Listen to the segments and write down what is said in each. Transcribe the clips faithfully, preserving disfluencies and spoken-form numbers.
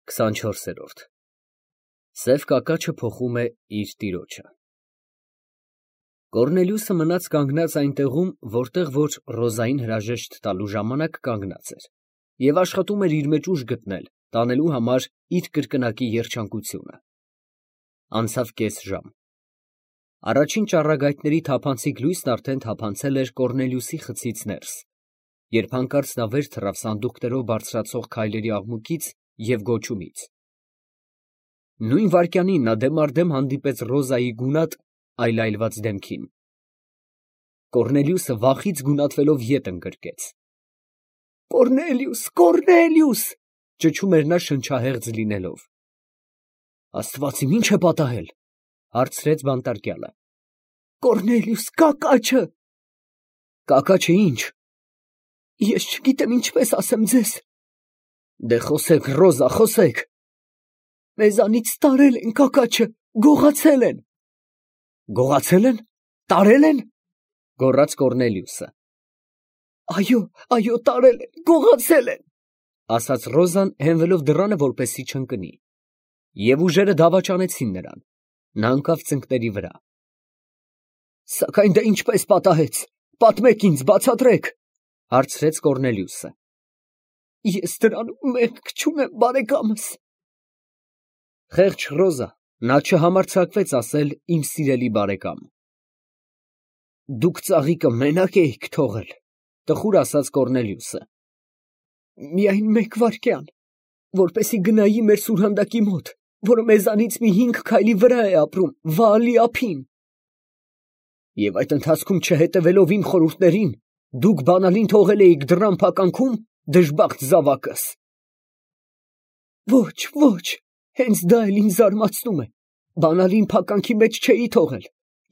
քսանչորսերորդ Սև կակաչը փոխում է իր տիրոջը։ Կոռնելիուսը մնաց կանգնած այնտեղում, որտեղ որ Ռոզային հրաժեշտ տալու ժամանակ կանգնած էր, և աշխատում էր իր մեջ ուժ գտնել, տանելու համար իր կրկնակի երջանկությունը։ Անցավ կես ժամ։ Առաջին ճառագայթների թափանցիկ լույսն արդեն թափանցել էր Կոռնելիուսի խցից ներս, երբ հանկարծ նա վեր թռավ սանդուղքներով բարձրացող քայլերի աղմուկից և գոչումից։ Նույն վայրկյանին նա դեմառդեմ հանդիպեց Ռոզայի գունատ, այլայլված դեմքին։ Կոռնելիուսը վախից գունատվելով ետ ընկրկեց։ «Կոռնելիուս, Կոռնելիուս» ճչում էր նա շնչահեղձ լինելով։ «Աստված իմ, ի՞նչ է պատահել» հարցրեց բանտարկյալը։ «Կոռնելիուս, կակաչը»։ «Կակաչը ի՞նչ»։ Ես չգիտեմ ինչպես ասեմ ձեզ։ Դե խոսեք, Ռոզա, խոսեք։ Մեզանից տարել են կակաչը, գողացել են։ Գողացել են, տարել են, գոռաց Կոռնելիուսը։ Այո, այո, տարել են, գողացել են, ասաց Ռոզան, հենվելով դռանը, որպեսզի չընկնի, և ուժերը դավաճանեցին նրան։ Նա ընկավ ծնկների վրա։ Սակայն դա ինչպես պատահեց, պատմեք ինձ, բացատրեք, հարցրեց Կոռնելիուսը։ Ես դրանում մեղք չունեմ, բարեկամս։ Խեղճ Ռոզա, նա չհամարձակվեց ասել իմ սիրելի բարեկամ։ Դուք ծաղիկը մենակ էիք թողել, տխուր ասաց Կոռնելիուսը։ Միայն մեկ վայրկյան, որպեսզի գնայի մեր սուրհանդակի մոտ, որը մեզանից մի հինգ քայլի վրա է ապրում, Վաալի ափին։ Եվ այդ ընթացքում չհետևելով իմ խորհուրդներին, դուք բանալին թողել էիք դռան փականքում, դժբախտ զավակս։ Ոչ, ոչ, հենց դա էլ ինձ զարմացնում է, բանալին փականքի մեջ չէի թողել,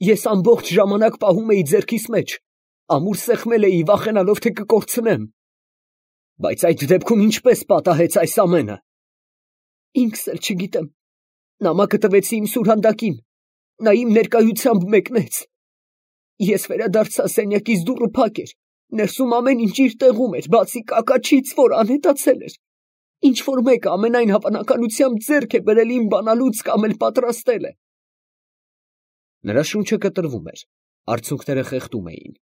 ես ամբողջ ժամանակ պահում էի ձեռքիս մեջ, ամուր սեղմել էի, վախենալով, թե կկորցնեմ։ Բայց այդ դեպքում ինչպես պատահեց այս ամենը։ Ինքս էլ չգիտեմ, նամակը տվեցի իմ սուրհանդակին, նա իմ ներկայությամբ մեկնեց։ Ես վերադարձա, սենյակից դուռը փակ էր, ներսում ամեն ինչ իր տեղում էր, բացի կակաչից, որ անհետացել էր։ Ինչ որ մեկը ամենայն հավանականությամբ ձեռք է բերել իմ բանալուց կամ էլ պատրաստել է։ Նրա շունչը կտրվում էր, արցունքները խեղդում էին։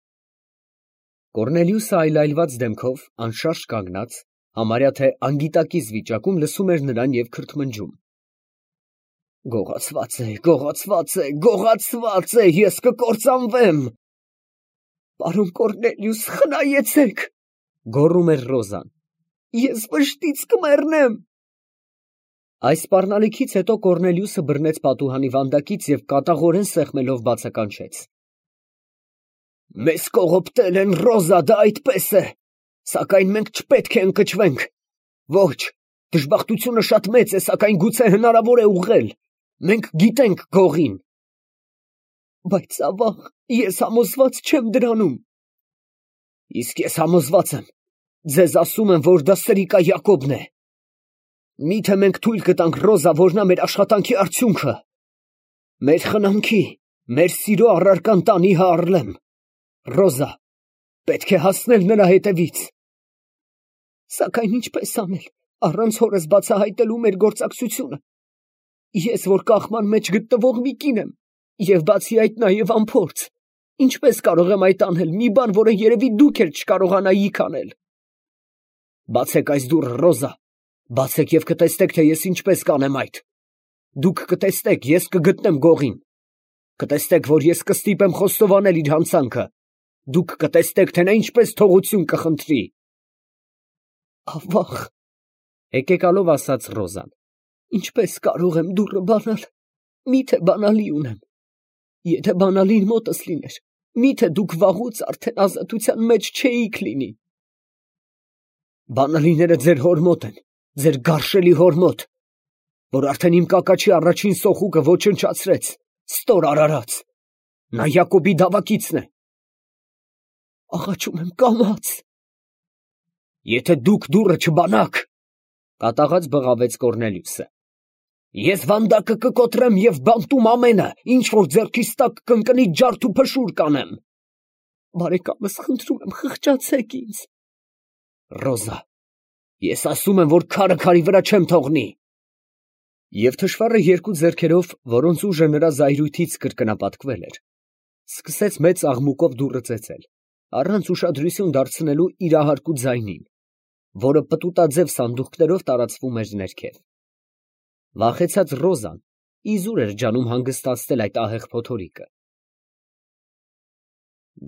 Կոռնելիուսը այլայլված դեմքով, անշարժ կանգնած, համարյա թե անգիտակից վիճակում լսում էր նրան և քրթմնջում։ Գողացված է, գողացված է, գողացված է, ես կկործանվեմ։ Պարոն Կոռնելիուս, խնայեցեք, գոռում էր Ռոզան։ Ես վշտից կմեռնեմ։ Այս սպառնալիքից հետո Կոռնելիուսը բռնեց պատուհանի վանդակից և կատաղորեն սեղմելով բացականչեց։ Մեզ կողոպտել են, Ռոզա, դա այդպես է, սակայն մենք չպետք է ընկճվենք։ Ոչ, դժբախտությունը շատ մեծ է, սակայն գուցե հնարավոր է ուղղել։ Մենք գիտենք գողին։ Բայց ավաղ, ես համոզված չեմ դրանում։ Իսկ ես համոզված եմ, ձեզ ասում եմ, որ դա Սրիկա Յակոբն է։ Միթե մենք թույլ կտանք, Ռոզա, որ նա մեր աշխատանքի արդյունքը, մեր խնամքի, մեր սիրո առարկան տանի Հառլեմ։ Ռոզա, պետք է հասնել նրա հետևից։ Սակայն ինչպես անել, առանց հորս բացահայտելու մեր գործակցությունը։ Ես, որ կաղման մեջ գտնվող մի կին եմ, և բացի այդ նաև անփորձ, ինչպես կարող եմ այդ անել, մի բան, որը երևի դուք էլ չկարողանայիք անել։ Բացեք այս դուռը, Ռոզա, բացեք և կտեսնեք, թե ես ինչպես կանեմ այդ։ Դուք կտեսնեք, ես կգտնեմ գողին։ Կտեսնեք, որ ես կստիպեմ խոստովանել իր հանցանքը։ Դուք կտեսնեք, թե նա ինչպես թողություն կխնդրի։ Ավաղ, հեկեկալով ասաց Ռոզան։ Ինչպես կարող եմ դուռը բանալ, միթե բանալի ունեմ։ Եթե բանալին մոտս լիներ, միթե դուք վաղուց արդեն ազատության մեջ չէիք լինի։ Բանալիները ձեր հոր մոտ են, ձեր գարշելի հոր մոտ, որ արդեն իմ կակաչի առաջին սոխուկը ոչնչացրեց, ստոր արարած։ Նա Յակոբի դավակիցն է։ Աղաչում եմ, կամաց։ Եթե դուք դուռը չբանաք, կատաղած բղավեց Կոռնելիուսը, ես վանդակը կկոտրեմ և բանտում ամենը, ինչ որ ձեռքիս տակ կընկնի, ջարդ ու փշուր կանեմ։ Բարեկամս, խնդրում եմ, խղճացեք ինձ։ Ռոզա, ես ասում եմ, որ քարը քարի վրա չեմ թողնի։ Եվ թշվառը երկու ձեռքերով, որոնց ուժը նրա զայրույթից կրկնապատկվել էր, սկսեց մեծ աղմուկով դուռը ծեծել, առանց ուշադրություն դարձնելու իր ահարկու ձայնին, որը պտուտաձև սանդուղքներով տարածվում էր ներքև։ Վախեցած Ռոզան իզուր էր ջանում հանգստացնել այդ ահեղ փոթորիկը։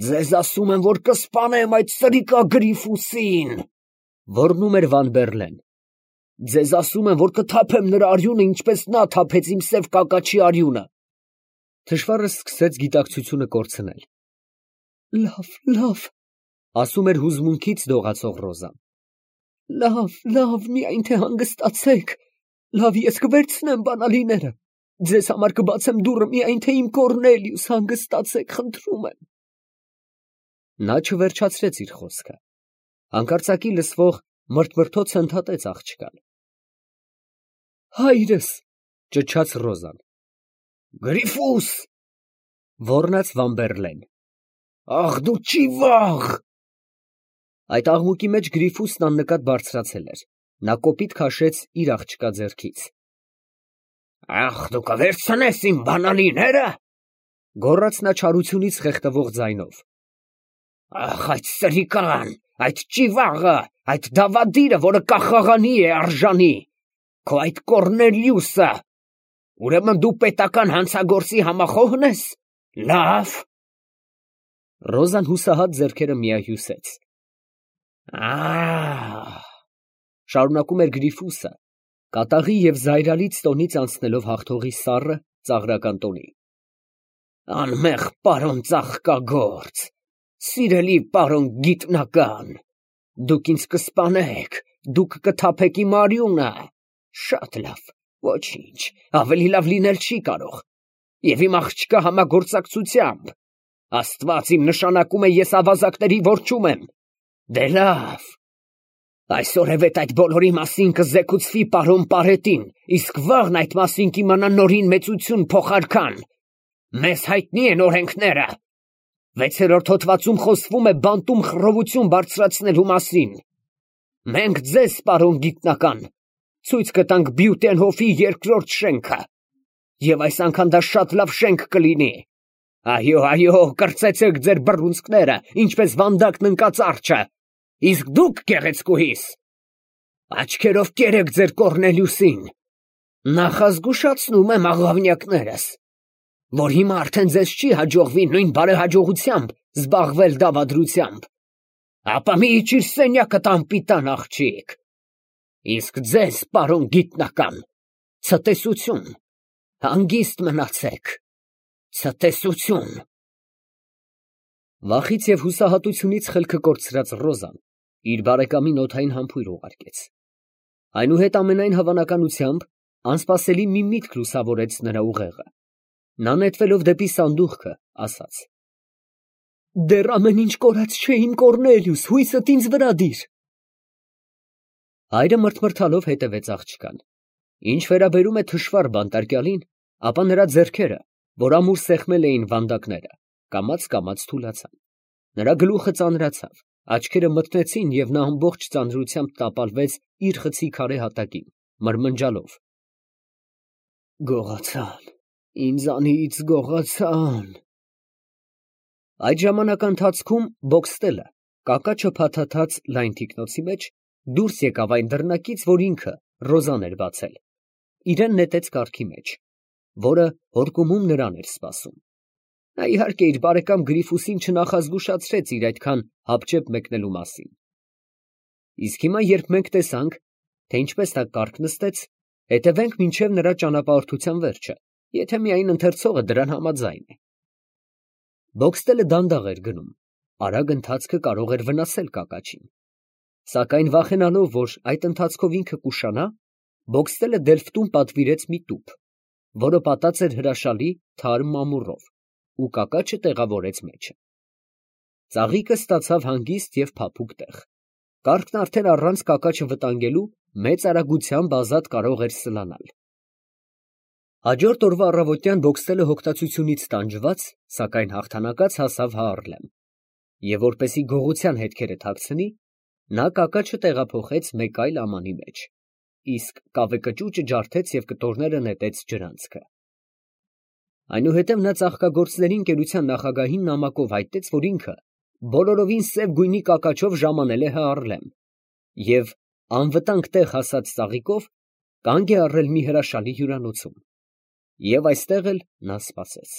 «Ձեզ ասում եմ, որ կսպանեմ այդ սրիկա Գրիֆուսին», ոռնում էր Վան֊Բեռլեն։ «Ձեզ ասում եմ, որ կթափեմ նրա արյունը, ինչպես նա թափեց իմ սև կակաչի արյունը»։ Թշվառը սկսեց գիտակցությունը կորցնել։ «Լավ, լավ», ասում էր հուզմունքից դողացող Ռոզան։ «Լավ, լավ, միայն թե հանգստացեք, լավ, ես կվերցնեմ բանալիները, ձեզ համար կբացեմ դուռը, միայն թե իմ Կոռնելիուս, հանգստացեք, խնդրում եմ»։ Նա չվերջացրեց իր խոսքը։ Հանկարծակի լսվող մրթմրթոցը ընդհատեց աղջկան։ «Հայրս», ճչաց Ռոզան։ «Գրիֆուս», ոռնաց Վան֊Բեռլեն։ «Ախ դու ճիվաղ»։ Այդ աղմուկի մեջ Գրիֆուսն աննկատ բարձրացել էր։ Նա կոպիտ քաշեց իր աղջկա ձեռքից։ «Ախ դու կվերցնես իմ բանալիները», գոռաց նա չարությունից խեղդվող ձայնով։ «Ախ այդ սրիկան, այդ ճիվաղը, այդ դավադիրը, որը կախաղանի է արժանի, քո այդ Կոռնելիուսը, ուրեմն դու պետական հանցագործի համախոհն ես, լավ»։ Ռոզան հուսահատ ձեռքերը միահյուսեց։ «Ահ», շարունակում էր Գրիֆուսը, կատաղի և զայրալից տոնից անցնելով հաղթողի սառը, ծաղրական տոնի։ «Անմեղ պարոն ծաղկագործ, սիրելի պարոն գիտնական, դուք ինձ կսպանեք, դուք կթափեք իմ արյունը, շատ լավ, ոչինչ, ավելի լավ լինել չի կարող, և իմ աղջկա համագործակցությամբ, Աստված իմ նշանակում է, ես ավազակների որջում եմ, դե լավ, այսօրևետ այդ բոլորի մասին կզեկուցվի պարոն Պարետին, իսկ վաղն այդ մասին կիմանա Նորին մեծություն փոխարքան, մեզ հայտնի են օրենքները, վեցերորդ հոդվածում խոսվում է բանտում խռովություն բարձրացնելու մասին, մենք ձեզ, պարոն գիտնական, ցույց կտանք Բյուտենհոֆի երկրորդ շենքը, և այս անգամ դա շատ լավ շենք կլինի, այո, այո, կրծեցեք ձեր բռունցքները, ինչպես վանդակն ընկած արջը, իսկ դուք, գեղեցկուհիս, աչքերով կերեք ձեր Կոռնելիուսին, նախազգուշացնում եմ աղավնյակներս, որ հիմա արդեն ձեզ չի հաջողվի նույն բարեհաջողությամբ զբաղվել դավադրությամբ, ապա մի իջիր սենյակդ անպիտան աղջիկ, իսկ ձեզ, պարոն գիտնական, ցտեսություն, հանգիստ մնացեք, ցտեսություն։ Վախից և հուսահատությունից խելքը կորցրած Ռոզան իր բարեկամին օդային համբույր ուղարկեց։ Այնուհետ ամենայն հավանականությամբ անսպասելի մի միտք լուսավորեց նրա ուղեղը։ Նա նետվելով դեպի սանդուղքը, ասաց. «Դեռ ամեն ինչ կորած չէ, իմ Կոռնելիուս, հույսդ ինձ վրա դիր»։ Հայրը մռթմռթալով հետևեց աղջկան։ Ինչ վերաբերում է թշվառ բանտարկյալին, ապա նրա ձեռքերը, որ ամուր սեղմել էին վանդակները, կամաց-կամաց թուլացան։ Նրա գլուխը ծանրացավ, աչքերը մթնեցին և նա ամբողջ ծանրությամբ տապալվեց իր խցի քարե հատակին, մրմնջալով. «Գողացան, ինձանից գողացան»։ Այդ ժամանակահատվածում Բոքստելը, կակաչը փաթաթած լայն թիկնոցի մեջ, դուրս եկավ այն դռնակից, որ ինքը, Ռոզան էր բացել, իրան նետեց կառքի մեջ, որը հորկումում նրան էր սպասում։ Նա իհարկե իր բարեկամ Գրիֆուսին չնախազգուշացրեց իր այդքան հապճեպ մեկնելու մասին։ Իսկ հիմա, երբ մենք տեսանք, թե ինչպես նա կառք նստեց, հետևենք մինչև նրա ճանապարհորդության վերջը, եթե միայն ընթերցողը դրան համաձայն է։ Բոքստելը դանդաղ էր գնում, արագ ընթացքը կարող էր վնասել կակաչին։ Սակայն վախենալով, որ այդ ընթացքով ինքը կուշանա, Բոքստելը դելֆտում պատվիրեց մի տուփ, որը պատած էր հրաշալի թարմ ամուռով, ու կակաչը տեղավորեց մեջը։ Ծաղիկը ստացավ հանգիստ և փափուկ տեղ։ Կառքն արդեն առանց կակաչը վտանգելու մեծ արագությամբ ազատ կարող էր սլանալ։ Հաջորդ օրվա առավոտյան Բոքստելը հոգտացությունից տանջված, սակայն հաղթանակած հասավ Հաառլեմ, և որպեսզի գողության հետքերը թաքցնի, նա կակաչը տեղափոխեց մեկ այլ ամանի մեջ։ իսկ կավեկճուճը ջարդեց և կտորները նետեց ջրանցքը։ Այնուհետև նա ծաղկագործների ընկերության նախագահին նամակով հայտնեց, որ ինքը բոլորովին սև գույնի կակաչով ժամանել է Հառլեմ և անվտանգ տեղ հասած ծաղիկով կանգ է առել մի հրաշալի հյուրանոցում, և այստեղ էլ նա սպասեց։